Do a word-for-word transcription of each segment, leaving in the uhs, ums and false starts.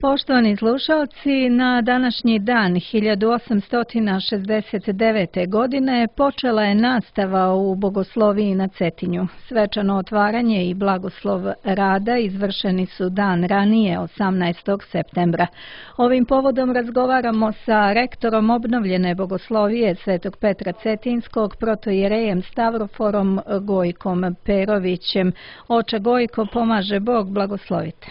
Poštovani slušalci, na današnji dan hiljadu osamsto šezdeset devete. godine počela je nastava u Bogosloviji na Cetinju. Svečano otvaranje i blagoslov rada izvršeni su dan ranije, osamnaestog septembra. Ovim povodom razgovaramo sa rektorom obnovljene Bogoslovije Svetog Petra Cetinskog, protoijerejem Stavroforom Gojkom Perovićem. Oče Gojko, pomaže Bog, blagoslovite.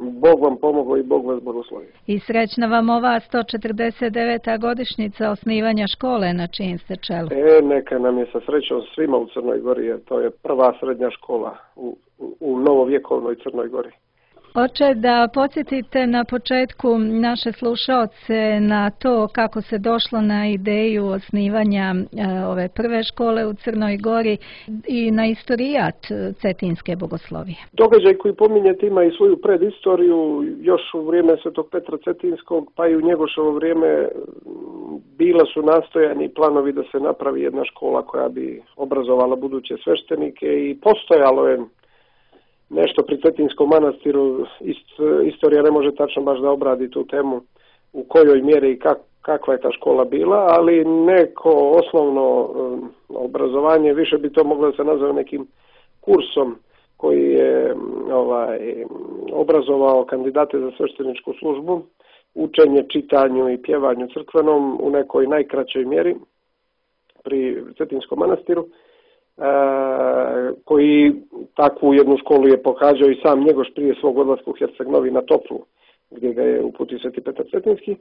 Bog vam pomogao i Bog vas blagoslovi. I srećna vam ova sto četrdeset deveta godišnjica osnivanja škole na čijem ste čelu. E, neka nam je sa srećom svima u Crnoj Gori, jer to je prva srednja škola u, u, u novovjekovnoj Crnoj Gori. Oče, da podsjetite na početku naše slušaoce na to kako se došlo na ideju osnivanja e, ove prve škole u Crnoj Gori i na istorijat Cetinske bogoslovije. Događaj koji pominjete ima i svoju predistoriju. Još u vrijeme Svetog Petra Cetinskog, pa i u njegošovo vrijeme, bila su nastojani i planovi da se napravi jedna škola koja bi obrazovala buduće sveštenike i postojalo je nešto pri Cetinskom manastiru. Ist, istorija ne može tačno baš da obradi tu temu u kojoj mjeri i kak, kakva je ta škola bila, ali neko osnovno um, obrazovanje, više bi to moglo da se nazove nekim kursom koji je ovaj, obrazovao kandidate za svešteničku službu, učenje, čitanju i pjevanju crkvenom u nekoj najkraćoj mjeri pri Cetinskom manastiru. Uh, koji takvu jednu školu je pohađao i sam Njegoš prije svog odlaska u Herceg Novi na Toplu, gdje ga je uputio Sveti Petar Cetinski.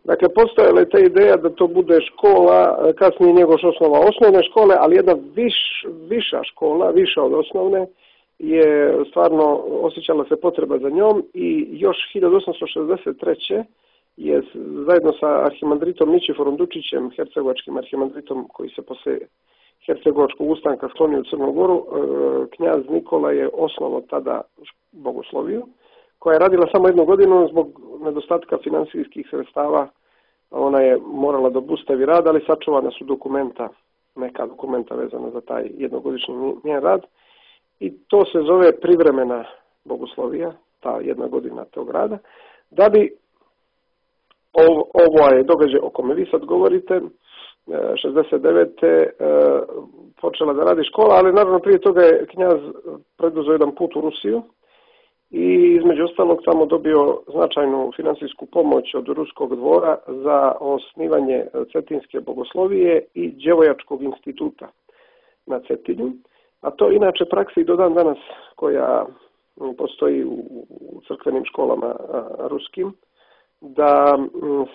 Dakle, postojala je ta ideja da to bude škola, kasnije Njegoš osnova osnovne škole, ali jedna viš, viša škola, viša od osnovne, je stvarno osjećala se potreba za njom i još hiljadu osamsto šezdeset treće. je zajedno sa arhimandritom Ničiforom Dučićem, hercegovačkim arhimandritom koji se posle hercegovačkog ustanka sklonio u Crnu Goru, knjaz Nikola je osnovao tada Bogosloviju, koja je radila samo jednu godinu zbog nedostatka finansijskih sredstava. Ona je morala da obustavi rad, ali sačuvana su dokumenta, neka dokumenta vezana za taj jednogodišnji njen rad. I to se zove privremena Bogoslovija, ta jedna godina tog rada. Da bi ovo, ovo je događaj o kome vi sad govorite, šezdeset devete. počela da radi škola, ali naravno prije toga je knjaz preduzeo jedan put u Rusiju i između ostalog tamo dobio značajnu finansijsku pomoć od Ruskog dvora za osnivanje Cetinske bogoslovije i Đevojačkog instituta na Cetinju. A to inače praksa i do dan danas koja postoji u crkvenim školama ruskim, da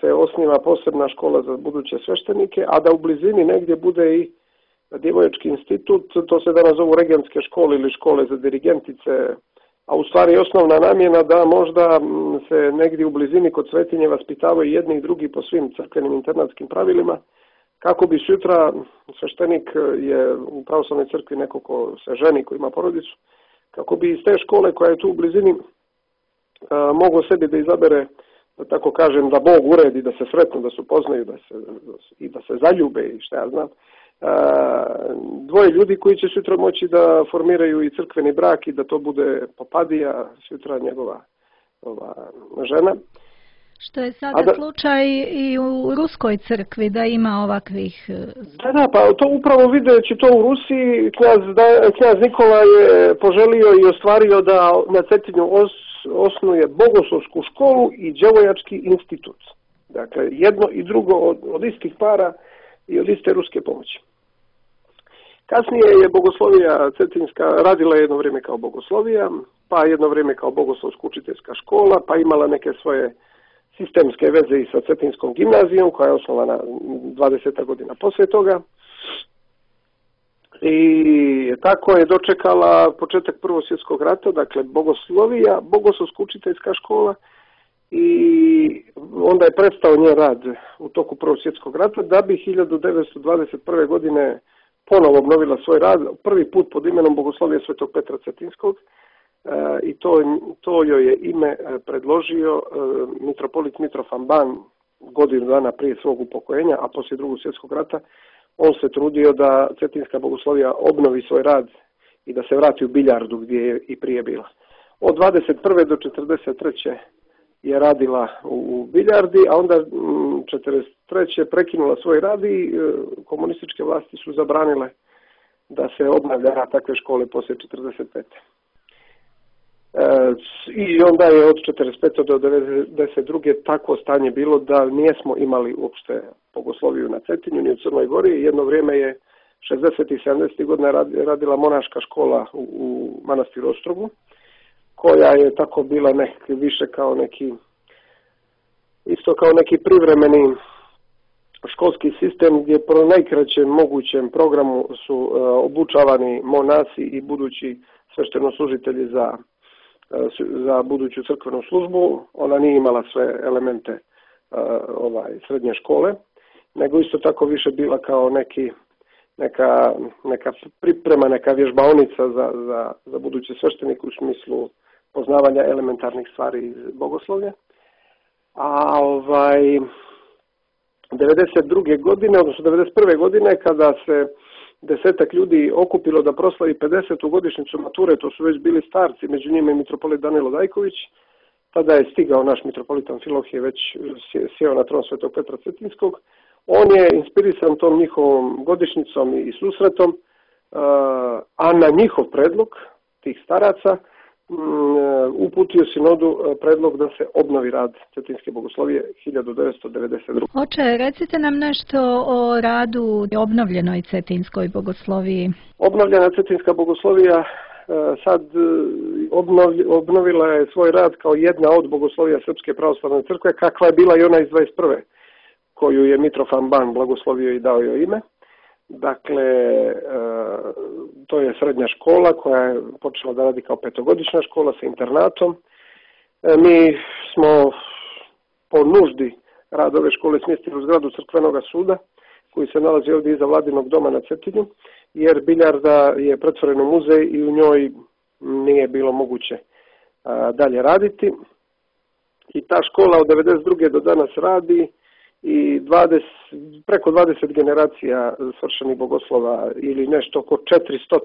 se osniva posebna škola za buduće sveštenike, a da u blizini negdje bude i Djevojački institut. To se danas zovu regentske škole ili škole za dirigentice, a u stvari je osnovna namjena da možda se negdje u blizini kod Svetinje vaspitavaju jedni i drugi po svim crkvenim internatskim pravilima, kako bi sutra sveštenik je u pravoslavnoj crkvi neko ko se ženi, ko ima porodicu, kako bi iz te škole koja je tu u blizini mogao sebi da izabere, da tako kažem, da Bog uredi, da se sretnu, da se upoznaju, da se, i da se zaljube i šta ja znam. Dvoje ljudi koji će sutra moći da formiraju i crkveni brak i da to bude Popadija, sutra njegova ova, žena. Što je sada da, slučaj i u Ruskoj crkvi, da ima ovakvih... Da, da, pa to upravo videći to u Rusiji, knjaz, da, knjaz Nikola je poželio i ostvario da na Cetinju os, osnuje bogoslovsku školu i Đevojački institut. Dakle, jedno i drugo od, od istih para i od iste ruske pomoći. Kasnije je Bogoslovija Cetinska radila jedno vrijeme kao Bogoslovija, pa jedno vrijeme kao Bogoslovsko učiteljska škola, pa imala neke svoje sistemske veze i sa Cetinskom gimnazijom, koja je osnovana dvadeset godina poslije toga. I tako je dočekala početak Prvog svjetskog rata, dakle Bogoslovija, Bogoslovska učiteljska škola, i onda je prestao njen rad u toku Prvog svjetskog rata, da bi hiljadu devetsto dvadeset prve. godine ponovo obnovila svoj rad, prvi put pod imenom Bogoslovije Svetog Petra Cetinskog, e, i to, to joj je ime predložio e, mitropolit Mitrofan Ban godinu dana prije svog upokojenja, a poslije Drugog svjetskog rata on se trudio da Cetinska bogoslovija obnovi svoj rad i da se vrati u Biljardu gdje je i prije bila. Od dvadeset prve do četrdeset treće je radila u Biljardi, a onda četrdeset treće prekinula svoj rad i komunističke vlasti su zabranile da se obnavlja takve škole poslije četrdeset pete. I onda je od četrdeset pete do devedeset druge takvo stanje bilo da nijesmo imali uopšte bogosloviju na Cetinju ni u Crnoj Gori. Jedno vrijeme je šezdesetih i sedamdesetih godina radila monaška škola u manastiru Ostrogu, koja je tako bila neki, više kao neki, isto kao neki privremeni školski sistem gdje po najkraćem mogućem programu su uh, obučavani monasi i budući sveštenoslужitelji za, uh, za buduću crkvenu službu. Ona nije imala sve elemente uh, ovaj, srednje škole, nego isto tako više bila kao neki, neka, neka priprema, neka vježbaonica za, za, za buduće sveštenike u smislu poznavanja elementarnih stvari iz bogoslovlja. A ovaj, devedeset druge godine, odnosno devedeset prve godine, kada se desetak ljudi okupilo da proslavi pedesetu godišnjicu mature, to su već bili starci, među njima i mitropolit Danilo Dajković, tada je stigao naš mitropolit Amfilohije, već sjeo na tron Svetog Petra Cetinskog. On je inspirisan tom njihovom godišnjicom i susretom, a na njihov predlog tih staraca uputio sinodu predlog da se obnovi rad Cetinske bogoslovije hiljadu devetsto devedeset druge. Oče, recite nam nešto o radu obnovljenoj Cetinskoj bogosloviji. Obnovljena Cetinska bogoslovija sad obnovila je svoj rad kao jedna od bogoslovija Srpske pravoslavne crkve, kakva je bila i ona iz dvadeset prve koju je Mitrofan Ban blagoslovio i dao joj ime. Dakle, to je srednja škola koja je počela da radi kao petogodišnja škola sa internatom. Mi smo po nuždi rad ove škole smjestili u zgradu Crkvenog suda koji se nalazi ovdje iza Vladinog doma na Cetinju, jer Biljarda je pretvoren u muzej i u njoj nije bilo moguće dalje raditi. I ta škola od devedeset druge do danas radi i dvadeset, preko dvadeset generacija svršenih bogoslova ili nešto oko četiristo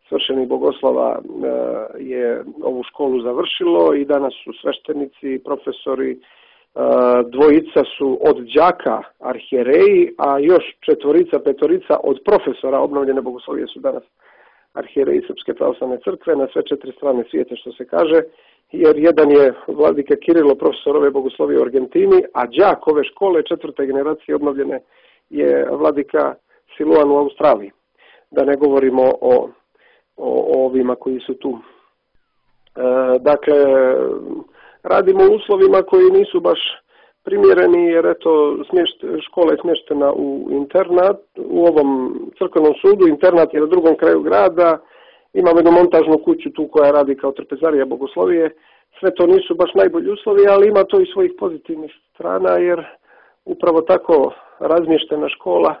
svršenih bogoslova je ovu školu završilo i danas su sveštenici, profesori, dvojica su od đaka arhijereji, a još četvorica, petorica od profesora obnovljene bogoslovije su danas arhijereji Srpske pravoslavne crkve na sve četiri strane svijeta, što se kaže, jer jedan je vladika Kirilo, profesor ove bogoslovije u Argentini, a đak ove škole četvrte generacije obnovljene je vladika Siluan u Australiji. Da ne govorimo o, o, o ovima koji su tu. E, dakle, radimo u uslovima koji nisu baš primjereni, jer eto, smješt, škola je smještena u internat, u ovom crkvenom sudu, internat je na drugom kraju grada, imamo jednu montažnu kuću tu koja radi kao trpezarija bogoslovije. Sve to nisu baš najbolji uslovi, ali ima to i svojih pozitivnih strana, jer upravo tako razmještena škola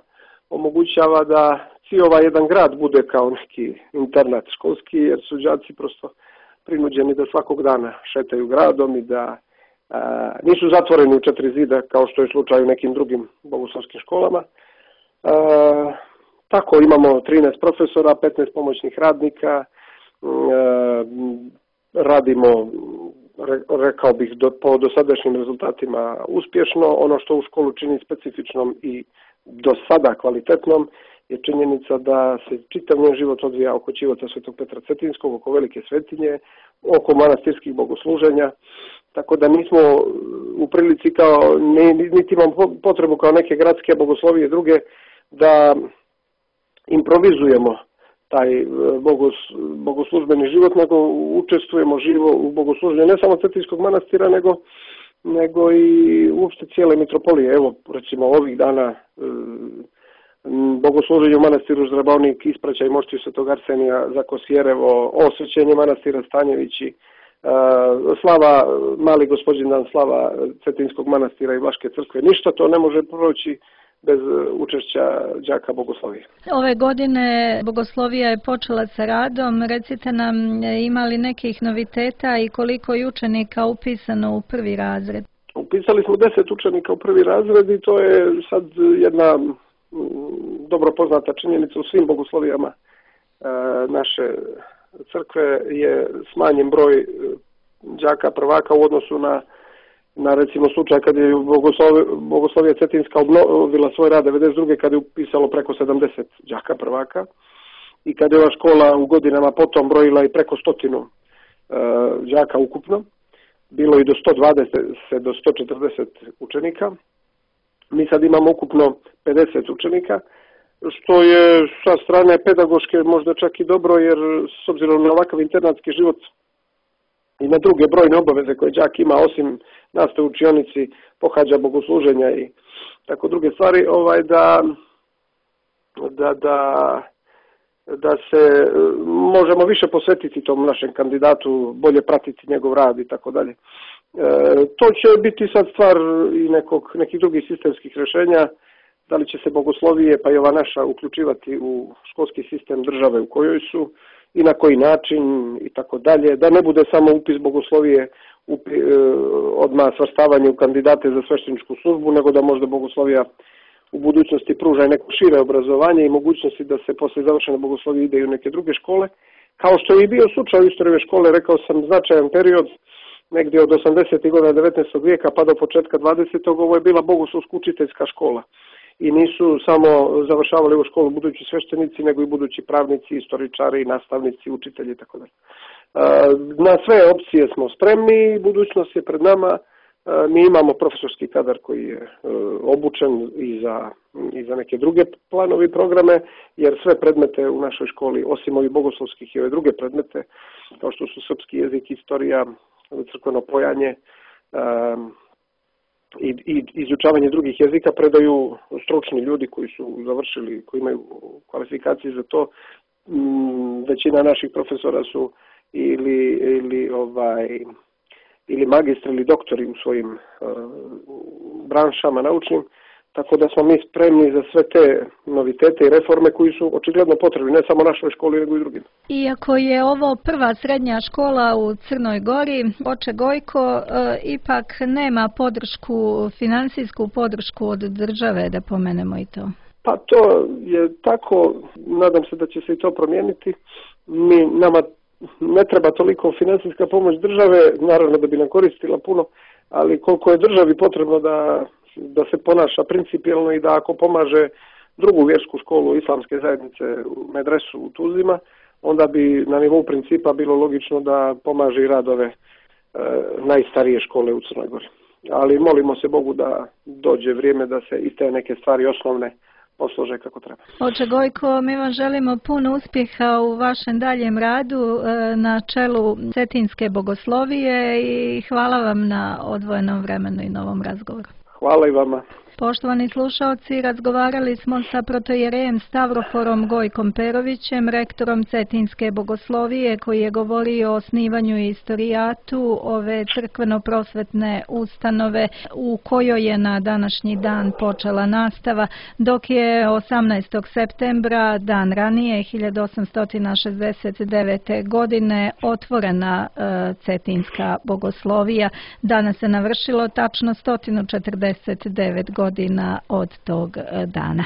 omogućava da cijeli jedan grad bude kao neki internat školski, jer su đaci prosto prinuđeni da svakog dana šetaju gradom i da a, nisu zatvoreni u četiri zida kao što je slučaj u nekim drugim bogoslovskim školama. A, tako imamo trinaest profesora, petnaest pomoćnih radnika, a, radimo, rekao bih, do, po dosadašnjim rezultatima uspješno. Ono što u školu čini specifičnom i do sada kvalitetnom je činjenica da se čitav njen život odvija oko ćivota Svetog Petra Cetinskog, oko Velike Svetinje, oko manastirskih bogosluženja, tako da nismo u prilici kao, niti imamo potrebu kao neke gradske bogoslovije druge da improvizujemo taj bogos, bogoslužbeni život, nego učestvujemo živo u bogosluženju ne samo Cetinskog manastira, nego, nego i uopšte cijele mitropolije. Evo, recimo ovih dana bogosluženje u manastiru Zrabavnik, ispraćaj mošti Svetog Arsenija za Kosjerevo, osvećenje manastira Stanjevići, slava, mali gospodindan, slava Cetinskog manastira i Vlaške crkve. Ništa to ne može proći bez učešća đaka bogoslovije. Ove godine bogoslovija je počela sa radom. Recite nam, ima li nekih noviteta i koliko je učenika upisano u prvi razred? Upisali smo deset učenika u prvi razred i to je sad jedna dobro poznata činjenica u svim bogoslovijama naše crkve je smanjen broj đaka prvaka u odnosu na na recimo slučaj kad je Bogoslovija Cetinska obnovila svoj rad devedeset druge kad je upisalo preko sedamdeset đaka prvaka i kad je ova škola u godinama potom brojila i preko stotinu uh, đaka ukupno, bilo i do sto dvadeset do sto četrdeset učenika. Mi sad imamo ukupno pedeset učenika, što je sa strane pedagoške možda čak i dobro, jer s obzirom na ovakav internatski život i na druge brojne obaveze koje đak ima, osim nastave u učionici, pohađa bogosluženja i tako druge stvari, ovaj da, da, da, da se možemo više posvetiti tom našem kandidatu, bolje pratiti njegov rad i tako dalje. To će biti sad stvar i nekog, nekih drugih sistemskih rješenja, da li će se bogoslovije, pa i ova naša, uključivati u školski sistem države u kojoj su i na koji način i tako dalje, da ne bude samo upis bogoslovije upi, odmah svrstavanje u kandidate za svešteničku službu, nego da možda bogoslovija u budućnosti pruža neko šire obrazovanje i mogućnosti da se posle završene bogoslovije ide i u neke druge škole, kao što je i bio slučaj u istoriji škole, rekao sam, značajan period, negdje od osamdesetih godina devetnaestog vijeka pa do početka dvadesetog ovo je bila bogoslovska učiteljska škola. I nisu samo završavali u školu budući sveštenici, nego i budući pravnici, istoričari, nastavnici, učitelji i tako dalje. Na sve opcije smo spremni, budućnost je pred nama. Mi imamo profesorski kadar koji je obučen i za, i za neke druge planove i programe, jer sve predmete u našoj školi, osim ovih bogoslovskih i ove druge predmete, kao što su srpski jezik, istorija, crkveno pojanje, i, i izučavanje drugih jezika, predaju stručni ljudi koji su završili, koji imaju kvalifikacije za to. Većina naših profesora su ili, ili, ovaj, ili magistri ili doktori u svojim uh, branšama naučnim, tako da smo mi spremni za sve te novitete i reforme koji su očigledno potrebni, ne samo našoj školi, nego i drugim. Iako je ovo prva srednja škola u Crnoj Gori, oče Gojko, e, ipak nema podršku, finansijsku podršku od države, da pomenemo i to. Pa to je tako, nadam se da će se i to promijeniti. Mi, nama ne treba toliko finansijska pomoć države, naravno da bi nam koristila puno, ali koliko je državi potrebno da da se ponaša principijelno i da ako pomaže drugu vjersku školu islamske zajednice u medresu u Tuzima, onda bi na nivou principa bilo logično da pomaže i rad ove e, najstarije škole u Crnoj Gori. Ali molimo se Bogu da dođe vrijeme da se i te neke stvari osnovne poslože kako treba. Oče Gojko, mi vam želimo puno uspjeha u vašem daljem radu na čelu Cetinske bogoslovije i hvala vam na odvojenom vremenu i novom razgovoru. Hvala i vama. Poštovani slušalci, razgovarali smo sa protojerejem Stavroforom Gojkom Perovićem, rektorom Cetinske bogoslovije, koji je govorio o osnivanju i istorijatu ove crkveno-prosvetne ustanove u kojoj je na današnji dan počela nastava, dok je osamnaestog septembra, dan ranije, hiljadu osamsto šezdeset devete. godine, otvorena e, Cetinska bogoslovija. Danas se navršilo tačno sto četrdeset devet godina od tog dana.